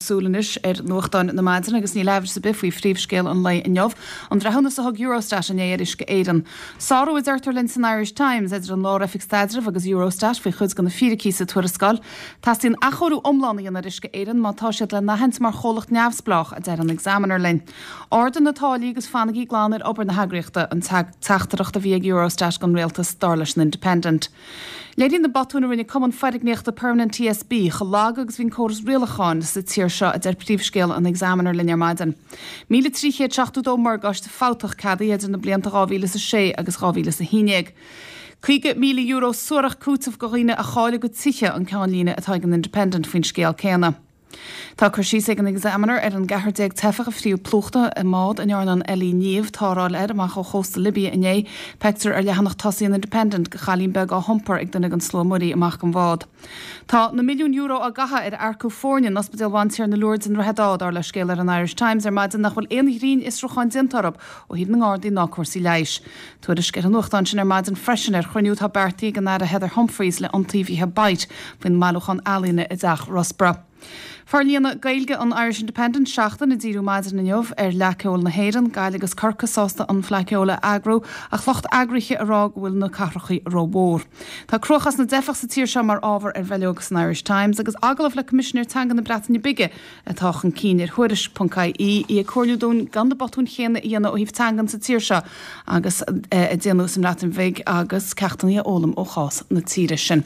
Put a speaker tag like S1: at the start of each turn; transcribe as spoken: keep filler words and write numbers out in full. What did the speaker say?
S1: súil anois ar nuachtáin na maidine agus níl amhras ar bith faoi phríomhscéal an lae inniu, an breithiúnas a thug Eurostat inné ar Uisce Éireann. Sárú a deirtear linn san Irish Times idir an Lár-Oifig Staidrimh agus Eurostat faoi chuid de na fíricí sa tuarascáil. Teastaíonn athchóiriú iomlán a dhéanamh ar Uisce Éireann má tá siad le n-aithint mar chomhlacht neamhspleách a deir an Examiner linn. Ardaigh na táillí agus fanaigí glan ar obair na heagraíochta an teachtaireacht a bhí ag Eurostat don rialtas dar leis an Independent. Léiríonn na botúin a rinne Cumann Foirgníochta Permanent TSB chomh lag agus bhí an córas rialacháin sa tír seo a deir príomhscéal an Examiner linn ar maidin. Míle trí chéad seachtó dó morgáiste fabhtach ceadaithe idir na blianta dhá mhíle is a sé agus dhá mhíle is a haon déag. Caoga míle euro suarach cúiteamh do dhaoine a chaill a gcuid tithe an ceannlíne atá ag an Independent faoin scéal céanna. Tá cur síos ag an Examiner ar an gceathrar déag teifeach a fríodh plúchta i mbád a ndearna an Ellie Niamh tarrtháil air amach ó chósta Libia inné, Feictear ar leathanach tosaigh an Independent go chailín beag á hiompar ag duine den slua muirí amach den bhád. Tá na milliúin euro á gcaitheamh ar earcú foirne in Ospidéal Bhantiarna Lourdes i nDroichead Átha dar le scéal ar an Irish Times ar maidin nach bhfuil aon ghrinnfhiosrúchán déanta orthu ó thaobh na nGardaí ná cúrsaí leighis. Tuairisc ar an nuachtán sin ar maidin freisin ar chruinniú atá beartaithe ag an Aire Heather Humphreys le iontaobhaithe Bite faoin mbailiúchán ealaíne i dTeach Russborough. Forlíonadh Gaeilge an Irish Independent seachtain ag díriú maidin inniu ar Fhleadh Ceoil na hÉireann, Gaillimh agus Corcaigh sásta an Fleadh Ceoil a eagrú ach lucht eagraithe ag rá go bhfuil na cathracha rómhór. Tá cruachás na dteifeach sa tír seo mar ábhar ar bhileog san Irish Times agus agallamh le Coimisinéir Teanga na Breataine Bige atá chun cinn ar thuairisc.ie í ag comhairliú dúinn gan na botúin chéanna a dhéanamh ó thaobh teangan sa tír seo agus a déanadh sa mBreatain Bhig agus ceachtanna a fhoghlaim ó chás na tíre sin.